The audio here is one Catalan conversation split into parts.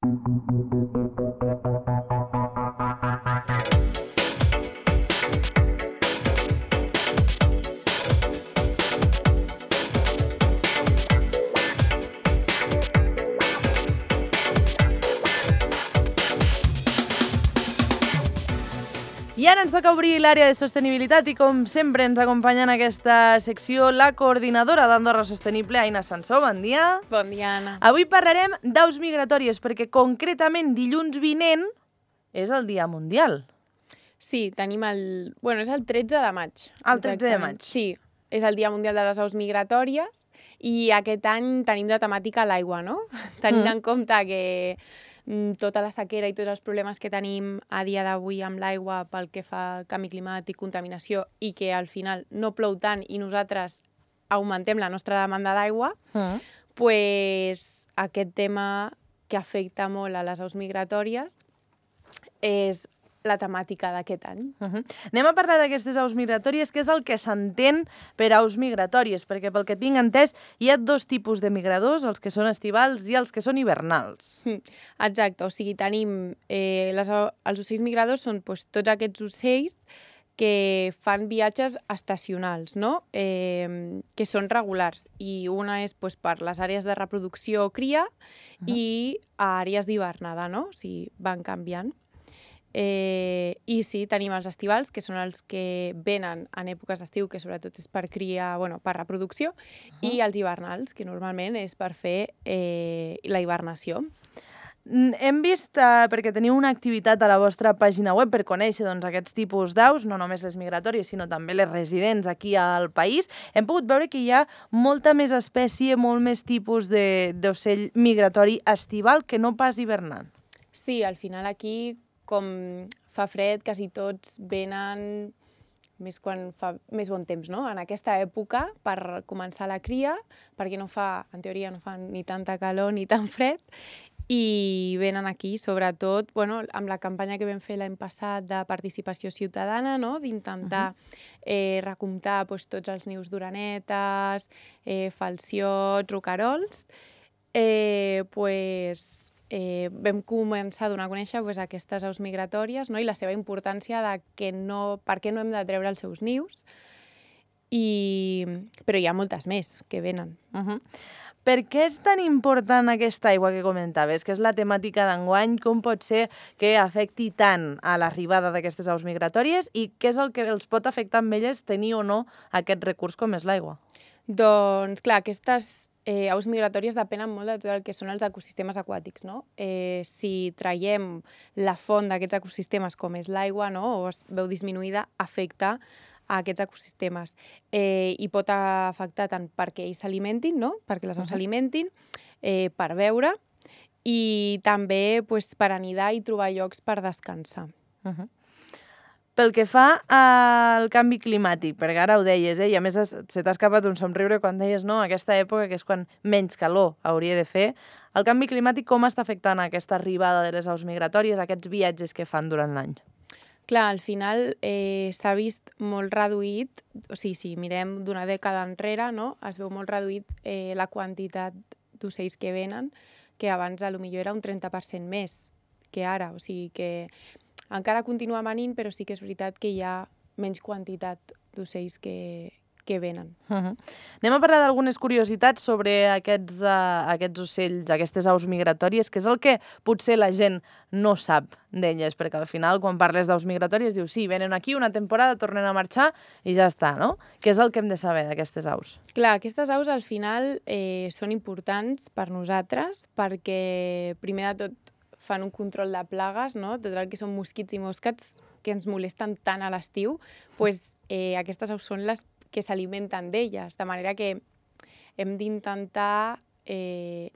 I ara ens toca obrir l'àrea de sostenibilitat i, com sempre, ens acompanya en aquesta secció la coordinadora d'Andorra Sostenible, Aina Sansó. Bon dia. Bon dia, Anna. Avui parlarem d'aus migratòries, perquè concretament dilluns vinent és el Dia Mundial. Sí, tenim el... Bueno, és el 13 de maig. El 13 de maig. Sí, és el Dia Mundial de les Aus Migratòries i aquest any tenim de temàtica l'aigua, no? Tenint en compte que tota la sequera i tots els problemes que tenim a dia d'avui amb l'aigua pel que fa al canvi climàtic, contaminació, i que al final no plou tant i nosaltres augmentem la nostra demanda d'aigua, pues aquest tema que afecta molt a les aus migratòries és la temàtica d'aquest any. Anem a parlar d'aquestes aus migratòries, que és el que s'entén per aus migratòries, perquè pel que tinc entès hi ha dos tipus de migradors, els que són estivals i els que són hivernals. Exacte, o sigui, tenim... els ocells migradors són tots aquests ocells que fan viatges estacionals, no? Que són regulars, i una és per les àrees de reproducció o cria i àrees d'hivernada, no? O sigui, van canviant. I sí, tenim els estivals, que són els que venen en èpoques d'estiu, que sobretot és per cria, per reproducció, i els hivernals, que normalment és per fer la hibernació. Hem vist, perquè teniu una activitat a la vostra pàgina web per conèixer aquests tipus d'aus, no només les migratòries, sinó també les residents aquí al país, hem pogut veure que hi ha molta més espècie, molt més tipus d'ocell migratori estival que no pas hivernant. Sí, al final aquí, com fa fred, quasi tots venen més quan fa més bon temps, no? En aquesta època, per començar la cria, perquè en teoria no fa ni tanta calor ni tan fred, i venen aquí, sobretot, amb la campanya que vam fer l'any passat de participació ciutadana, no? D'intentar recomptar tots els nius d'orenetes, falciots, roquerols, vam començar a donar a conèixer aquestes aus migratòries, no? I la seva importància de per què no hem de treure els seus nius, però hi ha moltes més que venen. Per què és tan important aquesta aigua que comentaves, que és la temàtica d'enguany? Com pot ser que afecti tant a l'arribada d'aquestes aus migratòries i què és el que els pot afectar amb elles tenir o no aquest recurs com és l'aigua? Doncs, clar, aquestes aus migratòries depenen molt de tot el que són els ecosistemes aquàtics, no? Si traiem la font d'aquests ecosistemes, com és l'aigua, no? O es veu disminuïda, afecta a aquests ecosistemes. I pot afectar tant perquè ells s'alimentin, no? Perquè les aus s'alimentin, per beure, i també per anidar i trobar llocs per descansar. Pel que fa al canvi climàtic, perquè ara ho deies, i a més se t'ha escapat un somriure quan deies no, aquesta època que és quan menys calor hauria de fer, el canvi climàtic com està afectant aquesta arribada de les aus migratòries, aquests viatges que fan durant l'any? Clar, al final s'ha vist molt reduït, o sigui, si mirem d'una dècada enrere, no? Es veu molt reduït la quantitat d'ocells que venen, que abans potser era un 30% més que ara, o sigui que encara continua venint, però sí que és veritat que hi ha menys quantitat d'ocells que venen. Anem a parlar d'algunes curiositats sobre aquests ocells, aquestes aus migratòries, que és el que potser la gent no sap d'elles, perquè al final, quan parles d'aus migratòries, dius, sí, venen aquí una temporada, tornen a marxar i ja està, no? Què és el que hem de saber d'aquestes aus? Clar, aquestes aus al final són importants per nosaltres perquè, primer de tot, fan un control de plagues, no? Tot el que són mosquits i mosques que ens molesten tant a l'estiu, aquestes aus són les que s'alimenten d'elles, de manera que hem d'intentar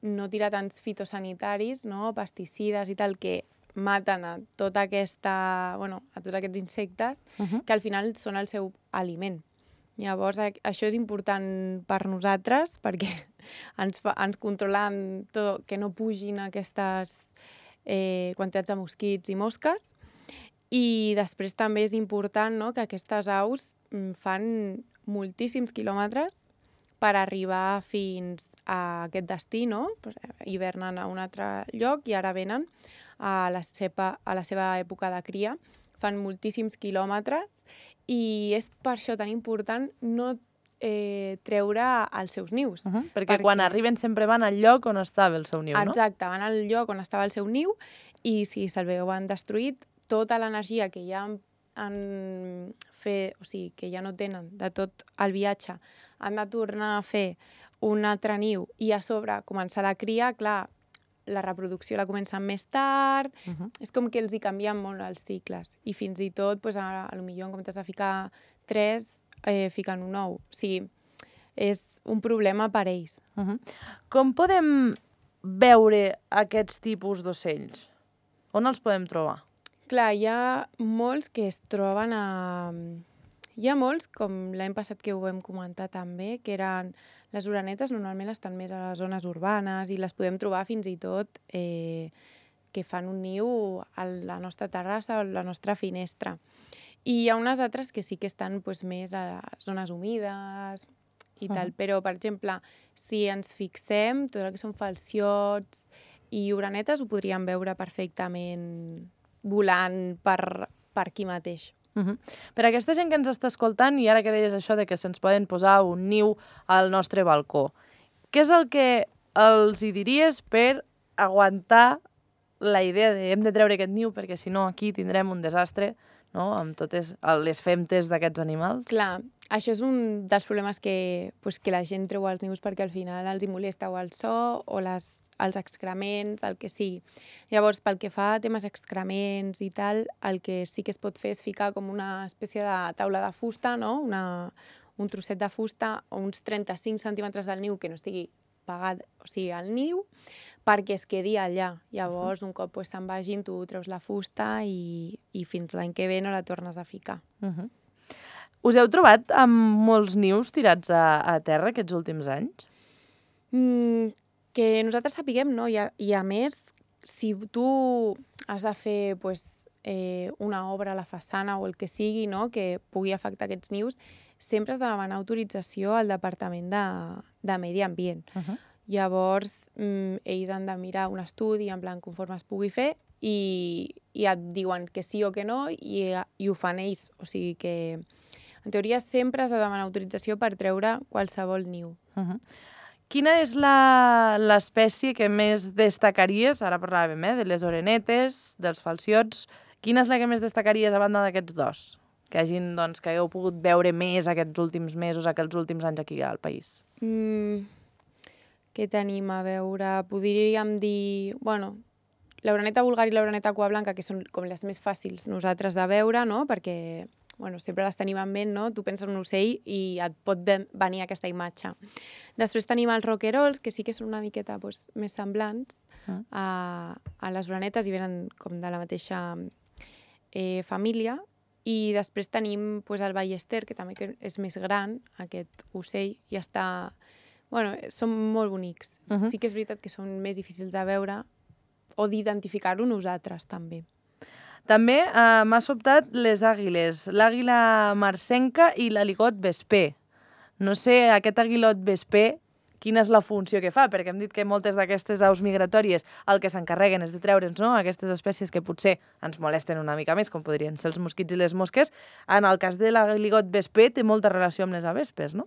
no tirar tants fitosanitaris, no? Pesticides i tal, que maten a tots aquests insectes, que al final són el seu aliment. Llavors, això és important per nosaltres, perquè ens controlen tot, que no pugin aquestes quantitats de mosquits i mosques, i després també és important, no?, que aquestes aus fan moltíssims quilòmetres per arribar fins aquest destí, no? Hivernen a un altre lloc i ara venen a la seva època de cria. Fan moltíssims quilòmetres i és per això tan important no treure els seus nius. Perquè quan arriben sempre van al lloc on estava el seu niu, no? Exacte, van al lloc on estava el seu niu i si se'l veuen destruït, tota l'energia que ja han fet, o sigui, que ja no tenen de tot el viatge, han de tornar a fer un altre niu i a sobre començar la cria, clar, la reproducció la comencen més tard, és com que els hi canvien molt els cicles i fins i tot, potser en comptes de ficar 3, fiquen un 9. O sigui, és un problema per ells. Com podem veure aquests tipus d'ocells? On els podem trobar? Clar, hi ha molts que es troben a... Hi ha molts, com l'any passat que ho vam comentar també, que eren les orenetes, normalment estan més a les zones urbanes i les podem trobar fins i tot que fan un niu a la nostra terrassa o a la nostra finestra. I hi ha unes altres que sí que estan més a zones humides i tal, però, per exemple, si ens fixem, tot el que són falciots i orenetes ho podríem veure perfectament volant per aquí mateix. Per aquesta gent que ens està escoltant, i ara que deies això de que se'ns poden posar un niu al nostre balcó, què és el que els hi diries per aguantar la idea de hem de treure aquest niu perquè si no aquí tindrem un desastre, no?, amb totes les femtes d'aquests animals? Clar, això és un dels problemes que la gent treu els nius perquè al final els hi molesta o el so o els excrements, el que sigui. Llavors, pel que fa a temes excrements i tal, el que sí que es pot fer és ficar com una espècie de taula de fusta, no?, un trosset de fusta o uns 35 centímetres del niu que no estigui pegat, o sigui, al niu, perquè es quedi allà. Llavors, un cop se'n vagin, tu treus la fusta i fins l'any que ve no la tornes a ficar. Us heu trobat amb molts nius tirats a terra aquests últims anys? Que nosaltres sapiguem, no? I a més, si tu has de fer una obra a la façana o el que sigui, no?, que pugui afectar aquests nius, sempre has de demanar autorització al Departament de Medi Ambient. Llavors, ells han de mirar un estudi en plan conforme es pugui fer i et diuen que sí o que no i ho fan ells. O sigui que, en teoria, sempre has de demanar autorització per treure qualsevol niu. Quina és l'espècie que més destacaries? Ara parlàvem de les orenetes, dels falciots. Quina és la que més destacaries a banda d'aquests dos? Que hagueu pogut veure més aquests últims mesos, aquests últims anys aquí al país. Què tenim a veure? Podríem dir... Bueno, l'oreneta vulgar i l'oreneta cua blanca, que són com les més fàcils nosaltres de veure, no?, perquè sempre les tenim en ment, no? Tu penses en un ocell i et pot venir aquesta imatge. Després tenim els roquerols, que sí que són una miqueta més semblants a les orenetes i venen com de la mateixa família. I després tenim el ballester, que també és més gran, aquest ocell, i està... són molt bonics. Sí que és veritat que són més difícils de veure o d'identificar-ho nosaltres, també. També m'ha sobtat les àguiles, l'àguila marcenca i l'aligot vesper. No sé, aquest aguilot vesper, quina és la funció que fa, perquè hem dit que moltes d'aquestes aus migratòries el que s'encarreguen és de treure'ns, no?, aquestes espècies que potser ens molesten una mica més, com podrien ser els mosquits i les mosques. En el cas de l'aligot vesper té molta relació amb les avespes, no?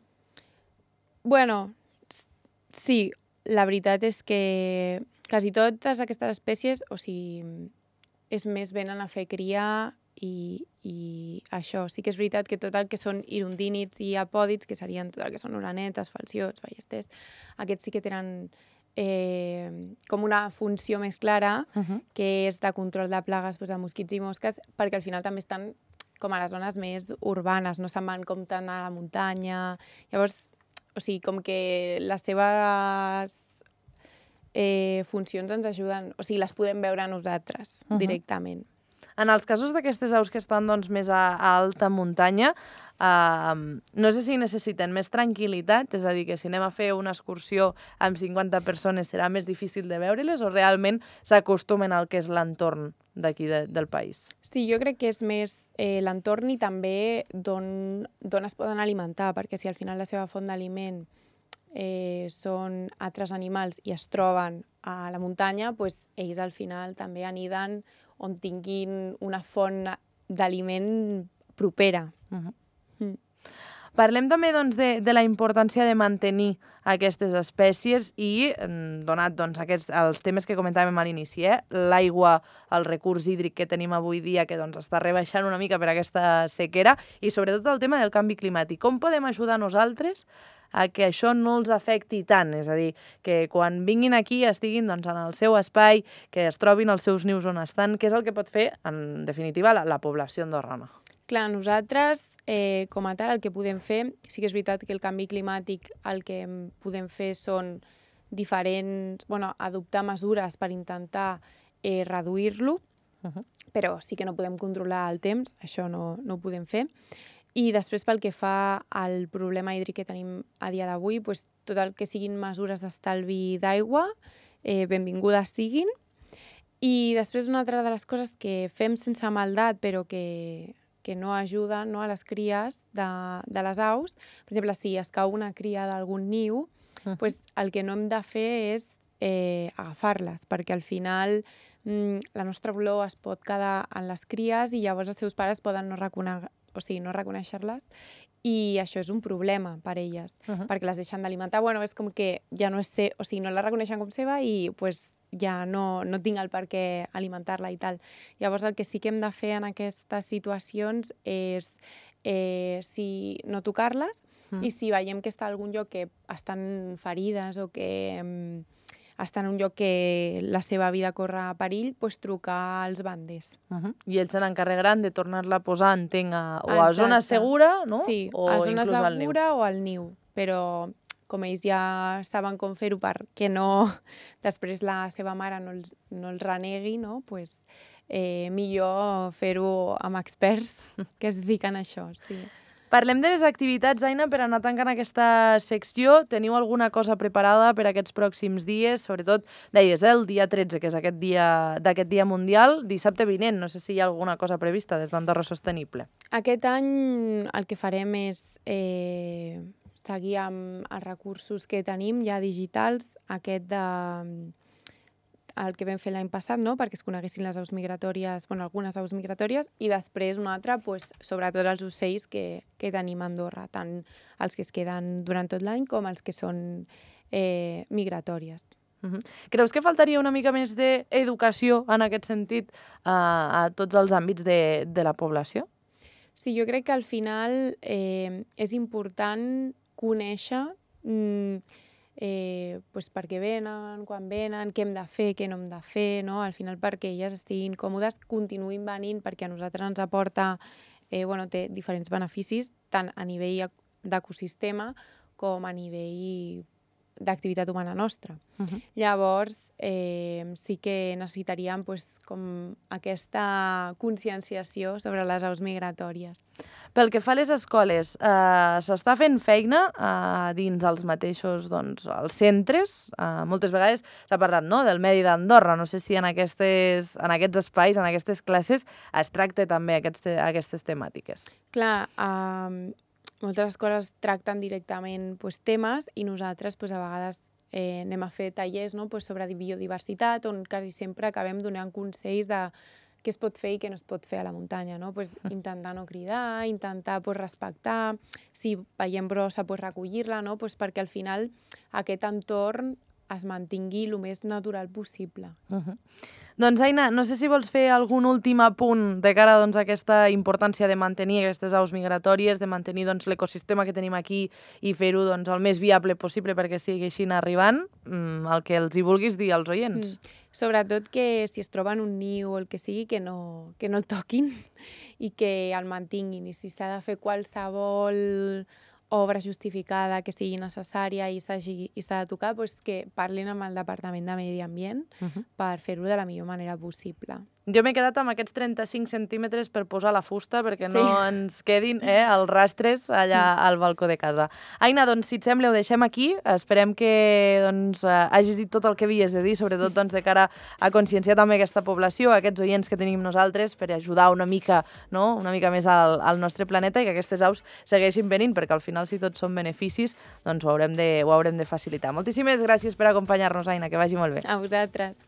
Bueno, sí, la veritat és que quasi totes aquestes espècies, o sigui, és més venen a fer cria i això. Sí que és veritat que tot el que són hirundínids i apòdids, que serien tot el que són orenetes, falciots, ballesters, aquests sí que tenen com una funció més clara, que és de control de plagues de mosquits i mosques, perquè al final també estan com a les zones més urbanes, no se'n van com tant a la muntanya. Llavors, o sigui, com que les seves funcions ens ajuden, o sigui, les podem veure nosaltres directament. En els casos d'aquestes aus que estan més a alta muntanya, no sé si necessiten més tranquil·litat, és a dir, que si anem a fer una excursió amb 50 persones serà més difícil de veure-les o realment s'acostumen al que és l'entorn d'aquí del país? Sí, jo crec que és més l'entorn i també d'on es poden alimentar, perquè si al final la seva font d'aliment són altres animals i es troben a la muntanya, doncs ells al final també aniden on tinguin una font d'aliment propera. Parlem també doncs, de la importància de mantenir aquestes espècies i, donat doncs, els temes que comentàvem a l'inici, l'aigua, el recurs hídric que tenim avui dia, que doncs, està rebaixant una mica per aquesta sequera, i sobretot el tema del canvi climàtic. Com podem ajudar nosaltres a que això no els afecti tant? És a dir, que quan vinguin aquí estiguin doncs, en el seu espai, que es trobin els seus nius on estan, què és el que pot fer, en definitiva, la població andorrana? Clar, nosaltres, com a tal, el que podem fer, sí que és veritat que el canvi climàtic el que podem fer són adoptar mesures per intentar reduir-lo, però sí que no podem controlar el temps, això no ho podem fer. I després, pel que fa al problema hídric que tenim a dia d'avui, doncs, tot el que siguin mesures d'estalvi d'aigua, benvingudes siguin. I després, una altra de les coses que fem sense maldat, però que no ajuden, no, a les cries de les aus. Per exemple, si es cau una cria d'algun niu, doncs el que no hem de fer és agafar-les, perquè al final la nostra olor es pot quedar en les cries i llavors els seus pares poden no reconèixer-les, i això és un problema per elles, perquè les deixen d'alimentar. És com que ja no no la reconeixen com seva i ja no tinc el per què alimentar-la i tal. Llavors el que sí que hem de fer en aquestes situacions és no tocar-les, i si veiem que està en algun lloc que estan ferides o que estan en un lloc que la seva vida corre perill, doncs trucar als banders. I ells se n'encarregaran de tornar-la a posar, entenc, a zona segura, no? Sí, a zona segura o al niu. Però com ells ja saben com fer-ho perquè després la seva mare no els renegui, no? Doncs millor fer-ho amb experts que es dediquen a això, sí. Parlem de les activitats, Aina, per anar tancant aquesta secció. Teniu alguna cosa preparada per aquests pròxims dies? Sobretot, deies, el dia 13, que és d'aquest dia mundial, dissabte vinent. No sé si hi ha alguna cosa prevista des d'Andorra Sostenible. Aquest any el que farem és seguir amb els recursos que tenim ja digitals, el que vam fer l'any passat, no?, perquè es coneguessin les aus migratòries, algunes aus migratòries, i després una altra, sobretot els ocells que tenim a Andorra, tant els que es queden durant tot l'any com els que són migratòries. Creus que faltaria una mica més d'educació en aquest sentit a tots els àmbits de la població? Sí, jo crec que al final és important conèixer per què venen, quan venen, què hem de fer, què no hem de fer, no? Al final perquè elles estiguin còmodes, continuïn venint, perquè a nosaltres ens aporta, té diferents beneficis, tant a nivell d'ecosistema com a nivell d'activitat humana nostra. Llavors, sí que necessitaríem com aquesta conscienciació sobre les aus migratòries. Pel que fa a les escoles, s'està fent feina dins els mateixos els centres. Moltes vegades s'ha parlat del Medi d'Andorra. No sé si en aquests espais, en aquestes classes, es tracta també aquestes temàtiques. Clar, moltes escoles tracten directament temes i nosaltres a vegades anem a fer tallers sobre biodiversitat, on quasi sempre acabem donant consells de què es pot fer i què no es pot fer a la muntanya, no? Intentar no cridar, intentar respectar, si veiem brossa recollir-la, no? Perquè al final aquest entorn es mantingui el més natural possible. Doncs, Aina, no sé si vols fer algun últim apunt de cara a aquesta importància de mantenir aquestes aus migratòries, de mantenir l'ecosistema que tenim aquí i fer-ho el més viable possible perquè segueixin arribant, el que els hi vulguis dir als oients. Sobretot que si es troben un niu o el que sigui, que no el toquin i que el mantinguin. I si s'ha de fer qualsevol obra justificada que sigui necessària i s'ha de tocar, que parlin amb el Departament de Medi Ambient per fer-ho de la millor manera possible. Jo m'he quedat amb aquests 35 centímetres per posar la fusta perquè no ens quedin els rastres allà al balcó de casa. Aina, doncs, si et sembla, ho deixem aquí. Esperem que hagis dit tot el que havies de dir, sobretot de cara a conscienciar també aquesta població, aquests oients que tenim nosaltres, per ajudar una mica més al nostre planeta i que aquestes aus segueixin venint, perquè al final final si tots són beneficis, doncs ho haurem de facilitar. Moltíssimes gràcies per acompanyar-nos, Aina, que vagi molt bé. A vosaltres.